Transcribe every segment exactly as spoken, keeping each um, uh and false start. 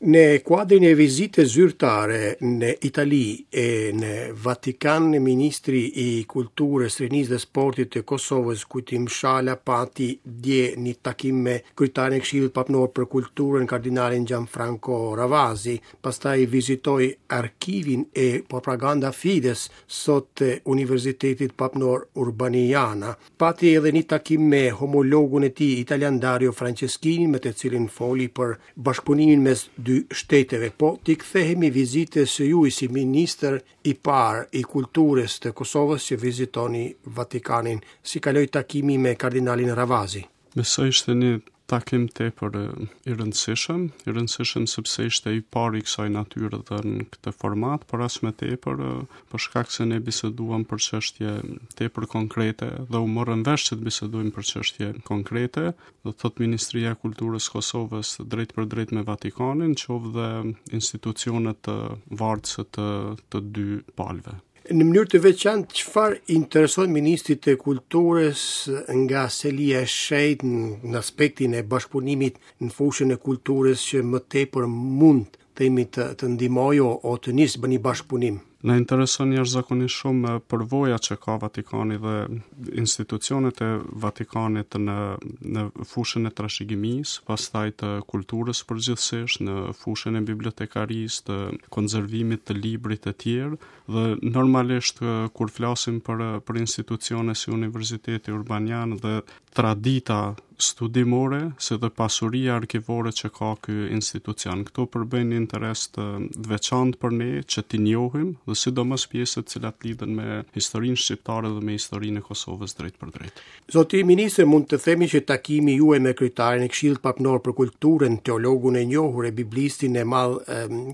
Në kuadrin e vizitës zyrtare në Itali e në Vatikan, Ministri i Kulturës, Rinisë dhe Sportit të Kosovës, Kujtim Shala, pati dje një takim me kryetarin e Këshillit Papnor për Kulturën, kardinalin Gianfranco Ravasi. Pastaj vizitoi arkivin e Propaganda Fides, sot të Universitetit Papnor Urbaniana. Pati edhe një takim me homologun e tij italian Dario Franceschini, me të cilin foli për bashkëpunimin mes dy shteteve. Po t'i kthehemi vizitës së juaj si ministër i parë i kulturës të Kosovës që vizitoni Vatikanin. Si kaloi takimi me kardinalin Ravasi? Besoj ishte një takim tepër i rëndësishëm, i rëndësishëm sepse ishte i pari i kësaj natyre dhe në këtë format, por as më tepër për shkak se ne biseduam për çështje tepër konkrete dhe u morëm vesh që të bisedojmë për çështje konkrete, do të thotë Ministria e Kulturës Kosovës drejt për drejt me Vatikanin, qoftë dhe institucionet vartëse të të dy palëve. Në mënyrë të veçantë, çfarë intereson Ministrit të Kulturës nga selia e shenjtë në aspektin e bashkëpunimit në fushën e kulturës që më tepër mund themi të, të ndihmojë o, o të nisë bë një bashkëpunim? Na intereson jashtëzakonisht shumë përvoja që ka Vatikani dhe institucionet e Vatikanit në në fushën e trashëgimisë, pastaj të kulturës përgjithsisht, në fushën e bibliotekarisë, të konservimit të librit e tjerë, dhe normalisht kur flasim për për institucione si Universiteti Urbanian dhe tradita studimore, si dhe pasuria arkivore që ka ky institucion. Këto përbëjnë një interes të, të veçantë për ne që t'i njohim dhe sidomos pjesët të cilat lidhen me historinë shqiptare dhe me historinë e Kosovës drejt për drejt. Zoti ministër, mund të themi që takimi juaj me kryetarin e Këshillit Papnor për Kulturën, teologun e njohur e biblistin e madh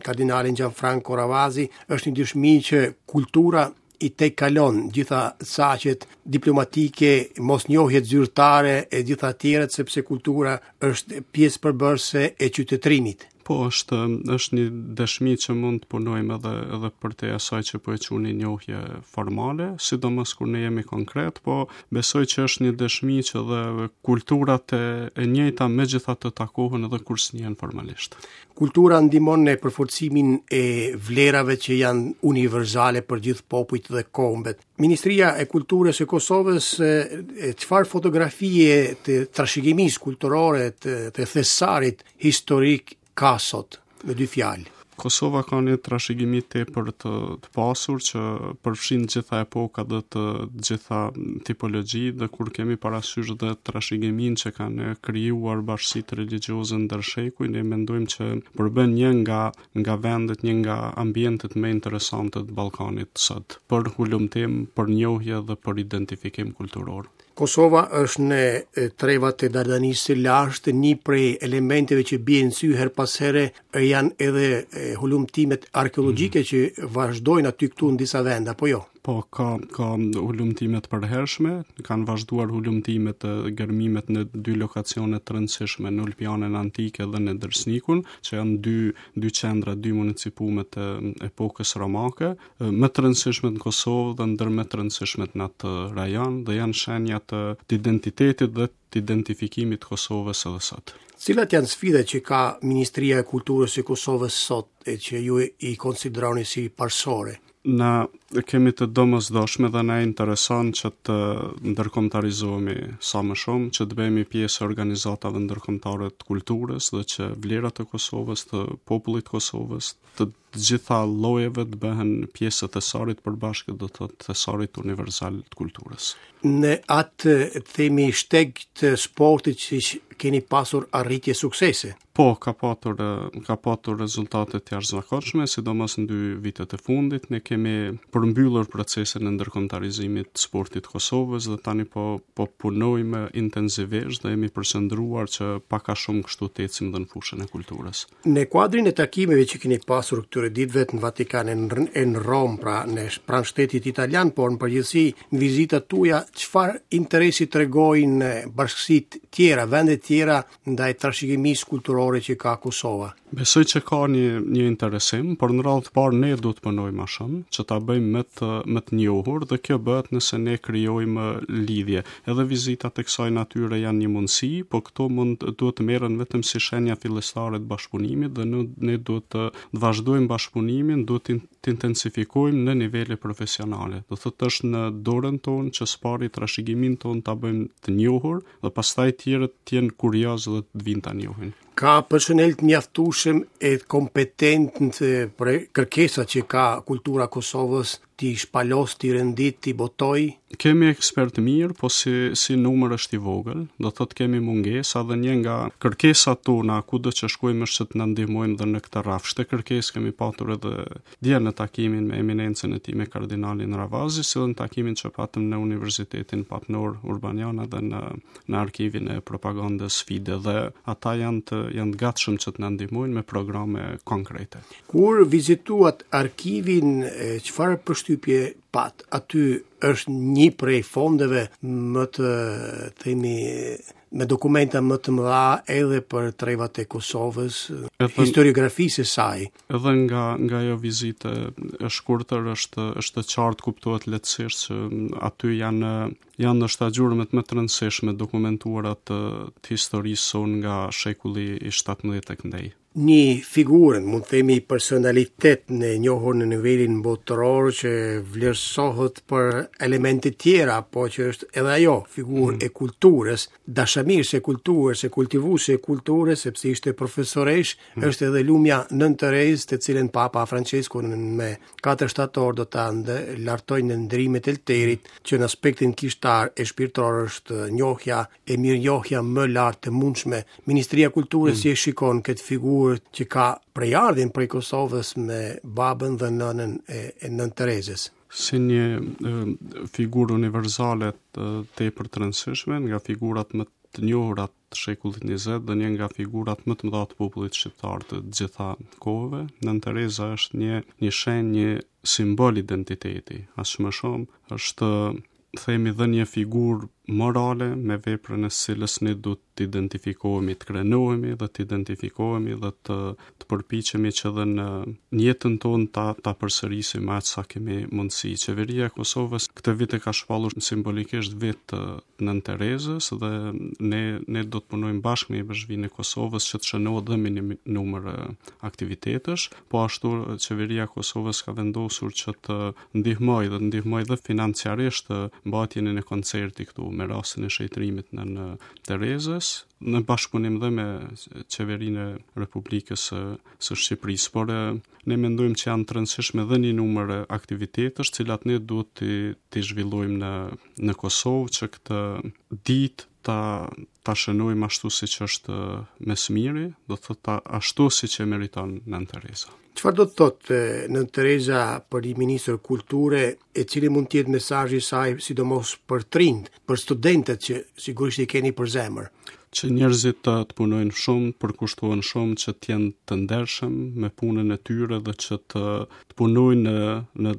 kardinalin Gianfranco Ravasi, është një dëshmi që kultura i tejkalon gjitha caqet diplomatike, mosnjohjet zyrtare e gjitha tjerat, sepse kultura është pjesë përbërëse e qytetërimit. Po, është, është një dëshmi që mund të punojmë edhe, edhe për te asaj që po e quani njohje formale, sidomos kur ne jemi konkret, po besoj që është një dëshmi që dhe kulturat e, e njëjta megjithatë takohen edhe kur s'njihen formalisht. Kultura ndihmon në përforcimin e vlerave që janë universale për gjithë popujt dhe kombet. Ministria e Kulturës e Kosovës, çfarë fotografie të trashëgimisë kulturore të, të thesarit historik ka sot, me dy fjalë? Kosova ka një trashëgimi tepër të, të pasur që përfshin gjitha epokat dhe të gjitha tipologjitë, dhe kur kemi parasysh dhe trashëgiminë që kanë krijuar bashkësitë religjioze ndër shekuj, ne mendojmë që përbën një nga nga vendet, një nga ambientet më interesante të Ballkanit sot, për hulumtim, për njohje dhe për identifikim kulturor. Kosova është në trevat e Dardanisë së lashtë, një prej elementeve që bien në sy her pas here janë edhe hulumtimet arkeologjike mm. që vazhdojnë aty këtu në disa vende, apo jo? Po, ka, ka hulumtime të përhershme, kanë vazhduar hulumtimet e gërmimet në dy lokacione të rëndësishme, në Ulpianën antike dhe në Dërsnikun, që janë dy, dy qendra, dy municipume të epokës romake, më të rëndësishme në Kosovë dhe ndër më të rëndësishmet në atë rajon, dhe janë shenja të, të identitetit dhe të identifikimit të Kosovës edhe sot. Cilat janë sfidat që ka Ministria e Kulturës e Kosovës sot e që ju i konsideroni si parësore? Na kemi të domosdoshme dhe na intereson që të ndërkombëtarizohemi sa më shumë, që të bëhemi pjesë e organizatave ndërkombëtare të kulturës dhe që vlerat e Kosovës, të popullit të Kosovës, të gjitha llojeve të bëhen pjesë e thesarit përbashkët, do të thotë thesarit universal të kulturës. Në atë, themi, shteg të sportit që keni pasur arritje suksese? Po, ka patur, ka patur rezultate të jashtëzakonshme, sidomos në dy vitet e fundit. Ne kemi përmbyllur procesin e ndërkombëtarizimit të sportit të Kosovës dhe tani po po punojmë intensivisht dhe jemi përqendruar që pak a shumë kështu të ecim dhe në fushën e kulturës. Në kuadrin e takimeve që keni pasur këtyre ditëve në Vatikan e në Romë, pra në pranë shtetit italian, por në përgjithësi në vizitat tuaja, çfarë interesi tregojnë bashkësitë tjera, vendet tjera ndaj trashëgimisë kulturore që ka Kosova? Besoj që ka një, një interesim, por në radhë të parë ne duhet të punojmë më shumë, që ta bëjmë më të më të njohur dhe kjo bëhet nëse ne krijojmë lidhje. Edhe vizitat e kësaj natyre janë një mundësi, po këto mund duhet të merren vetëm si shenja fillestare të bashkëpunimit dhe ne, ne duhet të, të vazhdojmë bashkëpunimin, duhet të, të intensifikojmë në nivele profesionale. Do thotë është në dorën tonë që s'pari trashëgiminë tonë ta bëjmë të njohur dhe pastaj tjerët të jenë kurioz dhe të vinë ta njohin. Ka personel të mjaftueshëm e kompetent për kërkesat që ka kultura Kosovës t'i shpalos, t'i rendit, t'i botoj? Kemi ekspert mirë, po si, si numër është i vogël, do thotë kemi mungesa dhe një nga kërkesat tona kudo që shkojmë është që të na ndihmojmë dhe në këtë rrafsh. Këtë kërkesë kemi patur edhe dje në takimin me eminencën e tij me kardinalin Ravazi, si dhe në takimin që patëm në Universitetin Papnor Urbaniana dhe në në arkivin e propagandës Fide dhe ata janë të janë të gatshëm që të na ndihmojnë me programe konkrete. Kur vizituat arkivin, çfarë përshtypje pat? Aty është një prej fondeve më të, themi, me dokumenta më të mëdha edhe për trevat e Kosovës, Edhe, historiografisë e saj. Edhe nga nga ajo vizitë e shkurtër është është e qartë, kuptohet lehtësisht që aty janë janë ndoshta gjurmët më të rëndësishme dokumentuara të, të historisë sonë nga shekulli i shtatëmbëdhjetë e këndej. Një figurë, mund të themi personalitet në njohur në nivelin botëror që vlerësohet për elemente tjera, po që është edhe ajo figurë mm. e kulturës, dashamirëse e kulturës, e kultivuese e kulturës, sepse ishte profesoresh, mm. është edhe lumja Nënë Terezë, të cilën Papa Francesku me katër shtator do ta lartojë në ndrimet e Elterit, që në aspektin kishtar e shpirtëror është njohja e mirënjohja më lartë të mundshme. Ministria e Kulturës mm. si e shikon këtë figurë që ka prejardhjen prej Kosovës me babën dhe nënën e, e Nënë Terezës? Si një e, figurë universale të, tepër të rëndësishme, nga figurat më të njohura të shekullit njëzet dhe një nga figurat më të mëdha të popullit shqiptar të gjitha kohëve. Nënë Tereza është një një shenjë, një simbol identiteti, aq më shumë është themi dhe një figurë morale me veprën e cilës ne duhet të identifikohemi, të krenohemi dhe të identifikohemi dhe të, të përpiqemi që edhe në, në jetën tonë ta, ta përsërisim aq sa kemi mundësi. Qeveria e Kosovës këtë vit e ka shpallur simbolikisht vit të Nënë Terezës dhe ne, ne do të punojmë bashkë me Ipeshkvinë e Kosovës që të shënohet dhe me një numër aktivitetesh. Po ashtu Qeveria e Kosovës ka vendosur që të ndihmojë dhe të ndihmojë dhe financiarisht mbajtjen e një koncerti këtu me rastin e shenjtërimit Nënë Terezës, në bashkëpunim dhe me qeverinë e Republikës së, së Shqipërisë, por ne mendojmë që janë të rëndësishme dhe një numër aktivitetesh, cilat ne duhet t'i, t'i zhvillojmë në në Kosovë që këtë ditë ta ta shënojmë ashtu siç është më së miri, do të thotë ashtu siç e meriton Nënë Tereza. Çfarë do të thotë Nënë Tereza për një ministër kulture, e cili mund të jetë mesazhi i saj sidomos për të rinjt, për studentët që sigurisht i keni për zemër? Që njerëzit të, të punojnë shumë, përkushtohen shumë, që të jenë të ndershëm me punën e tyre dhe që të, të punojnë në, në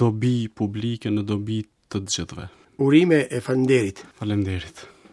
dobi publike, në dobi të të gjithëve. Urime e faleminderit. Faleminderit.